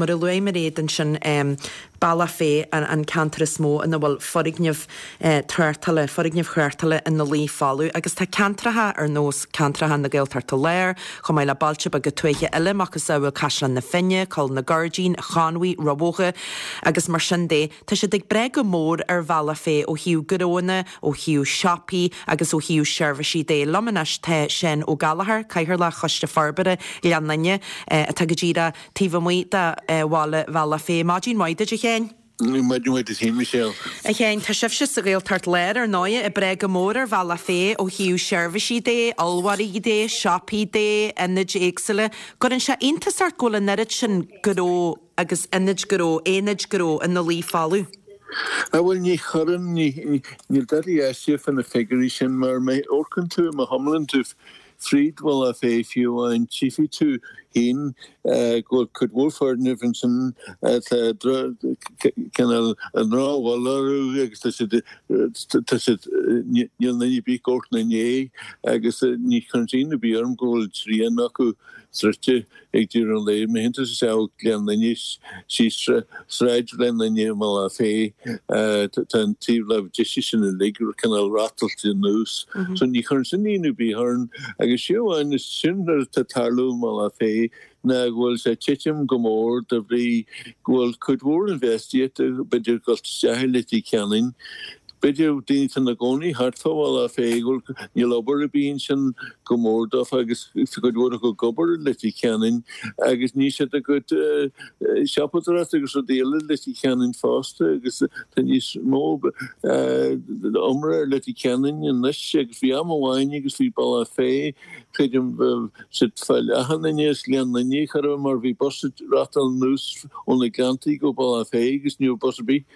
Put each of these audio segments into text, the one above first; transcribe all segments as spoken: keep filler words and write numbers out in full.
Mar a luaigh Mairéad ansin, Bealach Féich an ceantar is mó ina bhfuil foirgnimh tráchtála, foirgnimh thráchtála ina luí folamh agus tá ceantracha ar nós ceantracha na Gaeltachta Láir, chomh maith le bailte beaga tuaithe eile, macasamhail Caisleán na Finne, Coill na Gairdín, Conmhaigh, Rubhócha agus mar sin de. Tá siad ag breith go mór ar Bhealach Féich ó thaobh gnóanna, ó thaobh siopaí agus ó thaobh seirbhísí de. Liom anois tá Seán Ó Gallchóir, Cathaoirleach Choiste Forbartha Ghleann Fhinne, atá go díreach taobh amuigh de bhaile Bhealach Féich. Maidin mhaith duit, a Sheáin. Maidin mhaith duit féin, Michelle. A Sheáin, tá sibhse sa Ghaeltacht Láir, ar ndóigh, ag breith go mór ar Bhealach Féich ó thaobh seirbhísí de, ollmhargaí de, siopaí de, ionaid éagsúla. Cuireann sé iontas ort go bhfuil an oiread sin gnó agus ionaid gnó, aonaid gnó ina luí folamh? Á bhuel, ní chuireann, níl dada aisteach fá na figiúirí sin mar má amharcann tú, má thiomlann tú fríd Bhealach Féich fiú amháin, tchífidh tú féin go bhfuil cuid mhór foirgneamh ansin atá cineál i ndrochbhail orthu agus tá siad, tá siad, níl duine ar bith ag amharc ina ndiaidh agus ní chuireann sé ionadh ar bith orm go bhfuil trian acu druidte ag deireadh an lae. Má théann tú isteach ó Ghleann Fhinne síos Sráid Ghleann Fhinne i mBealach Féich, tá an taobh láimh deise sin uilig cineál rátáilte anuas. So ní chuireann sin ionadh ar bith orainn. Agus fiú amháin is sin rud atá ag tarlú i mBealach Féich ná go bhfuil sé ag titim go mór de bhrí go bhfuil cuid mhór infheistíochta b'fhéidir ag dul isteach i Leitir Ceanainn. B'fhéidir daoine atá ina gcónaí thart fá Bhealach Féich go bhfuil níl obair ar bith ansin go mór dófa agus tá cuid mhór acu ag obair i Leitir Ceanainn agus níl siad ag goil siopadóireacht agus rudaí eile i Leitir Ceanainn fosta agus tá níos mó iomrá ar Leitir Ceanainn anois agus bhí am amháin agus bhí Bealach Féich creidim bheadh siad fá leath an duine as Gleann Fhinne chor ar bith mar bhí bus ag reáchtáil anuas ó na Gleanntaí go Bealach Féich agus ní raibh bus ar bith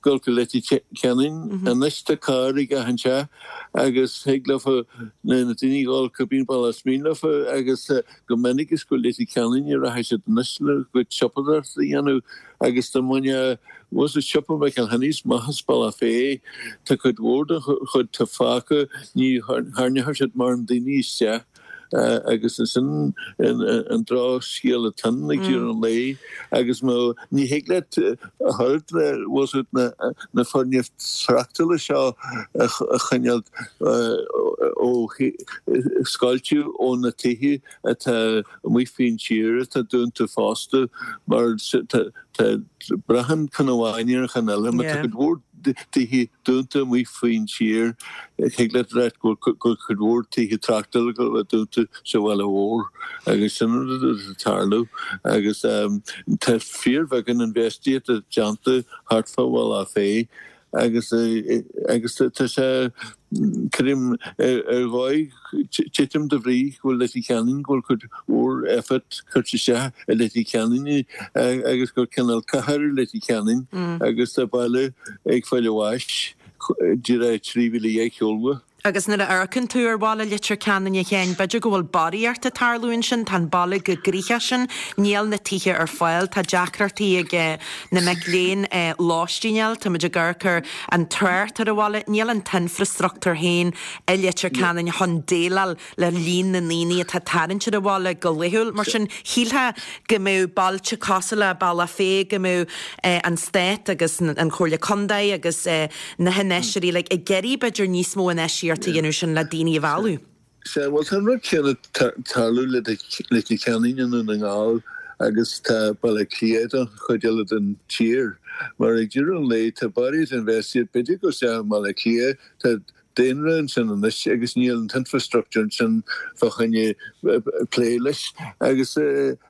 dul go Leitir Ceanainn. Anois tá carr ag achan teach agus thig leofa na daoine dhul cibé bealach is mian leofa agus go minic is go Leitir Ceanainn a rachaidh siad anois le cuid siopadóireachta a dhéanamh agus dá mbainfeá bhfuil siopa McElhinney's amach as Bealach Féich tá cuid mhór den chuid atá fágtha ní tharraingeoidh siad mórán daoine isteach. Agus sin an drochscéal atá ann ag deireadh an lae agus má ní thig leat a chur le bhfuil fhios agat na foirgnimh tráchtála seo a choinneáil ó scoilteadh ó na tithe atá amuigh faoin tír atá dúnta fosta mar tá braitheann ceann amháin ar an cheann eile má tá cuid mhór tithe dúnta amuigh faoin tír. Thig leat a ráit go bhfuil cuid mhór tithe tráchtála ag dul a bheith dúnta sa bhaile mhór agus sin an rud atá ag tarlú agus tá fíorbheagán infheistíochta déanta thart fá Bhealach Féich agus agus tá sé creidim ar dhóigh titim de bhrí go bhfuil Leitir Ceanainn, go bhfuil cuid mhór effort curtha isteach i Leitir Ceanainn agus gur cineál cathair í Leitir Ceanainn agus tá baile ag fáil a bháis díreach trí mhíle dhéag shiúl uaidh. Agus nuair a amharcann tú ar bhaile Leitir Ceanainn, a Sheáin, b'fhéidir go bhfuil barraíocht ag tarlú ansin, tá an baile chomh gnoitheach sin, níl na tithe ar fáil, tá deacrachtaí ag na mic léinn lóistín a fháil, táimid ag amharc ar an trácht ar an bhaile, níl an t-infreastruchtúr féin i Leitir Ceanainn chun déileáil le líon na ndaoine atá ag tarraingt ar an bhaile go laethúil. Mar sin, shílfeá go mbeadh bailte cosúil le Bealach Féich, go mbeadh an Stát agus an Chomhairle Contae agus na hinfheisteoirí uilig ag iarraidh b'fhéidir níos mó infheistíocht a dhéanamh sin le daoine a mhealladh. Sea, bhuel tá an rud céanna ag tarlú le Leitir Ceanainn i nDún na nGall agus tá Baile Átha Cliath don chuid eile den tír. Mar ag deireadh an lae tá barraíocht infheistíocht, b'fhéidir go isteach i mBaile Átha Cliath, tá daonra ansin anois agus níl an t-infrastructure ansin fá choinne plé leis agus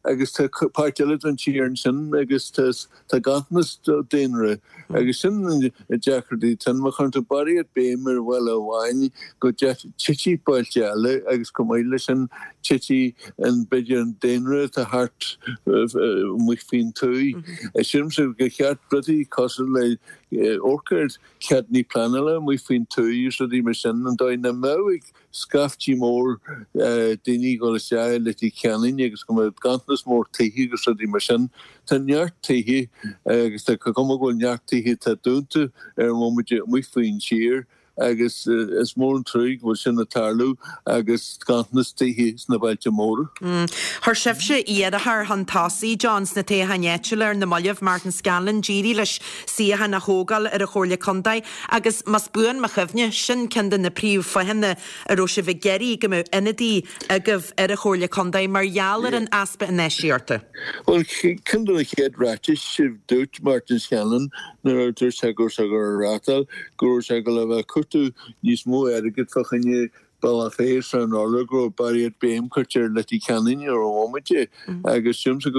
agus tá páirt eile den tír ansin agus tá tá ganntanas daonra agus sin an deacrachtaí atá ann. Má chuireann tú barraíocht béim ar bhaile amháin go dtitfidh bailte eile agus chomh maith leis sin titfidh an b'fhéidir an daonra atá thart amuigh faoin tuath. Sílimse gur cheart rudaí cosúil le amharc ar ceadanna pleanála amuigh faoin tuath agus rudaí mar sin, an dóigh nach mbeadh ag scaiftí mór daoine ag dul isteach i Leitir Ceanainn agus go mbeadh ganntanas mór tithe agus rudaí mar sin. Tá neart tithe agus tá cuma go bhfuil neart tithe atá dúnta ar an bhomaite amuigh faoin tír. agus is mór an truaigh go bhfuil sin ag tarlú agus ganntanas tithe sna bailte móra. Chuir sibhse iarrthóir chun tosaigh, John, sna toghcháin áitiúla ar na mallaibh, Martin Scanlon, d'éirigh leis suíochán a thógáil ar an Chomhairle Contae agus más buan mo chuimhne, sin ceann de na príomhfháthanna a raibh sibh ag iarraidh go mbeadh ionadaí agaibh ar an Chomhairle Contae mar gheall ar an easpa infheistíochta. Bhuel, ceann de na chéad ráitis a dúirt Martin Scanlon nuair a dúirt sé go raibh sé ag dul a rátáil go raibh sé ag dul a bheith ag cuartú níos mó airgid fá choinne Bealach Féich is an Urlár go raibh barraíocht béim curtha ar Leitir Ceanainn ar an bhomaite agus sílimse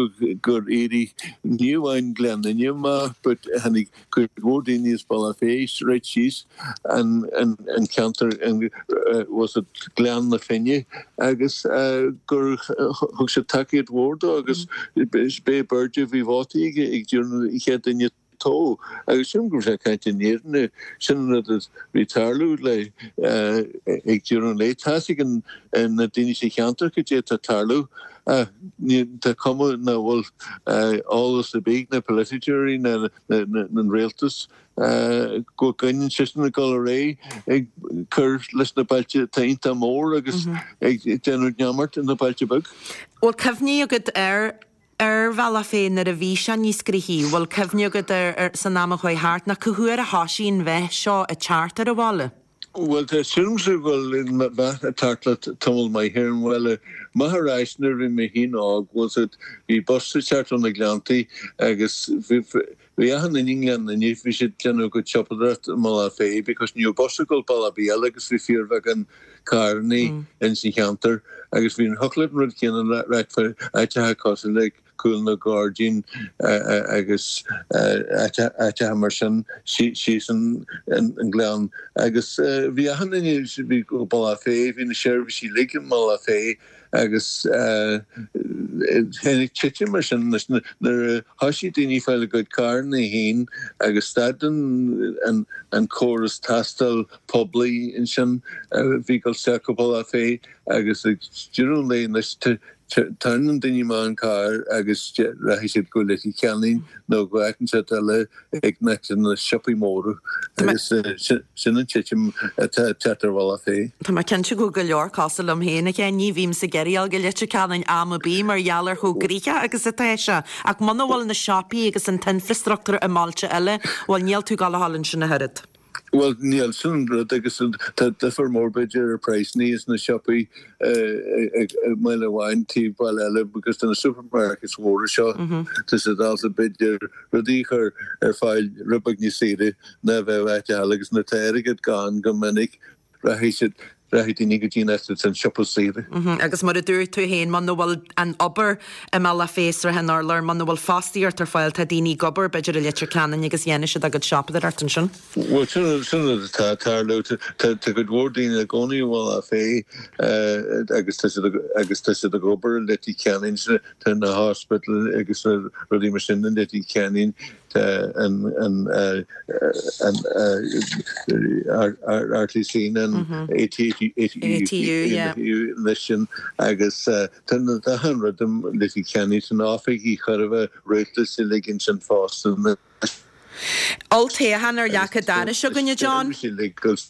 gur éirigh ní amháin Gleann Fhinne amach but tháinig cuid mhór daoine as Bealach Féich right síos an an ceantar was it Gleann na Finne agus gur thug siad tacaíocht mhór dó agus b'é b'airde a bhí vótaí aige ag deireadh an chéad duine toghadh agus sílim go raibh sé ag caint an fhírinne sin an rud a bhí ag tarlú le ag deireadh an lae. Tá a fhios ag na daoine sa cheantar cad é atá ag tarlú ach tá cuma nach bhfuil eolas ar bith ag na polaiteoirí ná an rialtas go gcoinníonn seisean ag dul ar aghaidh ag cur leis na bailte atá iontach mór agus ag déanamh neamart ar na bailte beag. Bhfuil cuimhní agat ar ar Bhealach Féich nuair a bhí sé níos gnoithí? Bhfuil cuimhne agat ar san am a chuaigh thart nó cá huair a thoisigh an mheath seo ag teacht ar an bhaile? Bhuel, tá sílimse go bhfuil meath ag teacht le tamall maith ar an bhaile. Amach ar ais nuair a bhí mé féin óg, bhfuil 's agat, bhí bus ag teacht ó na Gleanntaí agus bhí bhí achan duine i nGleann Fhinne, bhí siad ag déanamh a gcuid siopadóireacht i mBealach Féich because ní raibh bus ag dul bealach ar bith eile agus bhí fíorbheagán carrannaí ins an cheantar agus bhí an thiocfadh leat an rud céanna a ráit fá áiteacha cosúil le Cúl na Gairdín agus áiteacha mar sin síos an gleann agus bhí achan duine, bhí go Bealach Féich, bhí na seirbhísí uilig i mBealach Féich agus tháinig titim mar sin nuair a thoisigh daoine ag fáil a gcuid carranna féin agus stad an córas taistil poiblí ansin bhí ag dul isteach go Bealach Féich agus ag deireadh an lae anois Tarraingíonn daoine amach an carr agus rachaidh siad go Leitir Ceanainn nó go áit inteacht eile ag na siopaí móra agus sin an titim atá ag teacht ar Bhealach Féich. Tá mé cinnte go bhfuil go leor cosúil liom féin, a Sheáin, ní bhímse ag iarraidh a dhul go Leitir Ceanainn am ar bith mar gheall ar chomh gnoitheach agus atá sé. Ach muna bhfuil na siopaí agus an t-infreastruchtúr i mbailte eile, bhuel níl tú ag gabháil a dhul ansin ach oiread. Bhuel, níl, sin an rud agus tá difear mór b'fhéidir ar praghsanna sna siopaí i mbaile amháin taobh baile eile because tá na supermarkets mhóra seo, tá siad ábalta b'fhéidir rudaí a chur ar fáil rud beag níos saoire ná a bheadh áit eile agus nuair atá airgead gann go minic rachaidh siad Rachaidh daoine go dtí an áit atá an siopa is saoire. Agus mar a dúirt tú féin, muna bhfuil an obair i mBealach Féich, Srath an Urláir, muna bhfuil fostaíocht ar fáil, tá daoine ag obair, b'fhéidir i Leitir Ceanainn agus dhéanfaidh siad a gcuid siopadóireacht ansin. Bhuel, sin sin rud atá ag tarlú. Tá tá cuid mhór daoine ina gcónaí i mBealach Féich agus tá siad agus tá siad ag obair i Leitir Ceanainn. Tá na hospitals agus na rudaí mar sin i Leitir Ceanainn. Tá an an an RTC an ATU anois sin agus tá na achan rud i Leitir Ceanainn tá na oifigí chóir a bheith rialtais uilig ansin fosta anois. Olltoghchán ar leac an dorais againn, a John.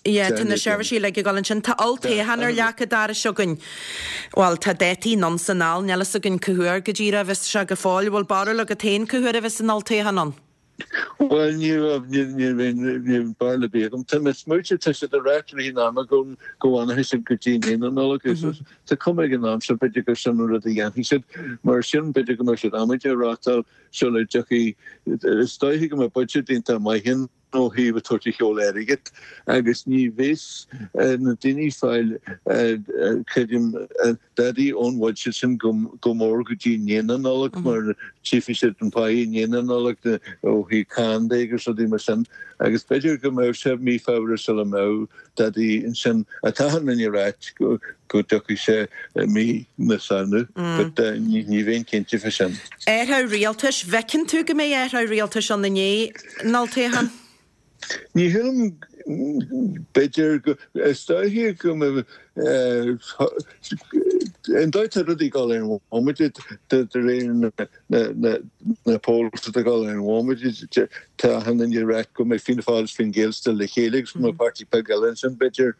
Yeah, tá na seirbhísí uilig ag dul ansin. Tá olltoghchán ar leac an dorais againn. Bhuel, tá dátaí anonn 's anall, níl fhios againn cá huair go díreach a bheas sé go fóill. Bhfuil barúil agat féin cá huair a bheas an olltoghchán ann? Bhuel, ní raibh, ní raibh barúil ar bith agam. Tá mé ag smaointiú, tá siad ag ráit i rith an ama go go bhfanfaidh siad go dtí i ndiaidh na Nollag. Tá cuma ag an am seo, b'fhéidir gur sin an rud a dhéanfaidh siad. Mar sin, b'fhéidir go mbeidh siad amaideach ag reáchtáil sula dtiocfaidh, is dóiche go mbeidh budget iontach maith ann ó thaobh a tabhairt a sheol airgead agus ní bheas na daoine ag fáil, creidim, dadaí ón bhuiséad sin go mór go dtí i ndiaidh na Nollag mar tchífidh siad an pá i ndiaidh na Nollag ó thaobh cáin de agus rudaí mar sin agus b'fhéidir go mbeadh sé mí Feabhra sula mbeadh dadaí ansin. Tá achan duine ag ráit go dtiocfaidh sé i mí na Samhna but ní bheinn cinnte fá sin. Athrú rialtais, bhfeiceann tú go mbeidh athrú rialtais ann i ndiaidh an olltoghcháin? Ní shílim, b'fhéidir go, is dóiche go mbeidh, An dóigh atá rudaí ag dul ar an bhomaite, de réir na polls atá ag dul ar an bhomaite, tá achan duine ag rá go mbeidh Fianna Fáil is Fine Gael still le chéile agus go mbeidh páirtí beag eile ansin b'fhéidir.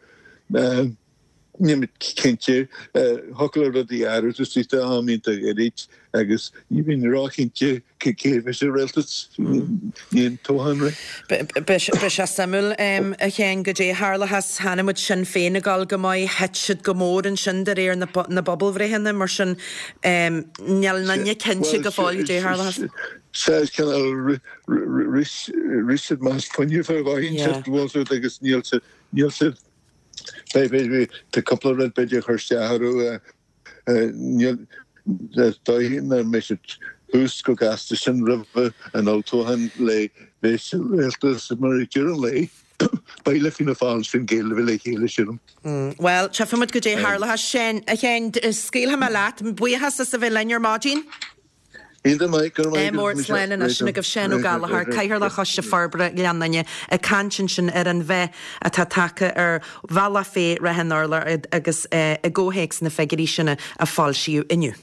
Níl mé cinnte. Thiocfadh le rudaí athrú istigh tá am iontach gairid agus ní bhíonn róchinnte cé a bheidh sa rialtas i ndiaidh an toghcháin. Beidh sé suimiúil, a Sheáin, goidé a tharlóchas. Chonaic muid Sinn Féin ag dul go maith, thit siad go mór ansin de réir na bpobalbhreitheanna, mar sin níl éinne cinnte go fóill goidé a tharlóchas. Sea, is cineál rith siad amach as fuinneamh ar dhóigh inteacht agus níl siad Beidh, tá cúpla rud b'fhéidir a chur isteach orthu. Níl, is dóigh nach mbeidh siad thuas chomh gasta sin roimh an olltoghchán le bheith sa rialtas mar ag deireadh an lae beidh le Fianna Fáil is Fine Gael a bheith le chéile, sílim. Bhuel, tchífidh muid goidé a tharlóchas. Sin, a Sheáin, scaoilfidh mé leat. Buíochas as a bheith linn ar maidin. Iontach maith, go raibh maith agat. Mór, slán anois. Sin agaibh Seán Ó Gallchóir, Cathaoirleach Choiste Forbartha Ghleann Fhinne, ag caint ansin ar an mheath atá tagtha ar Bhealach Féich, Ráth an Urláir agus i gcomhthéacs na figiúirí sin a foilsíodh inniu.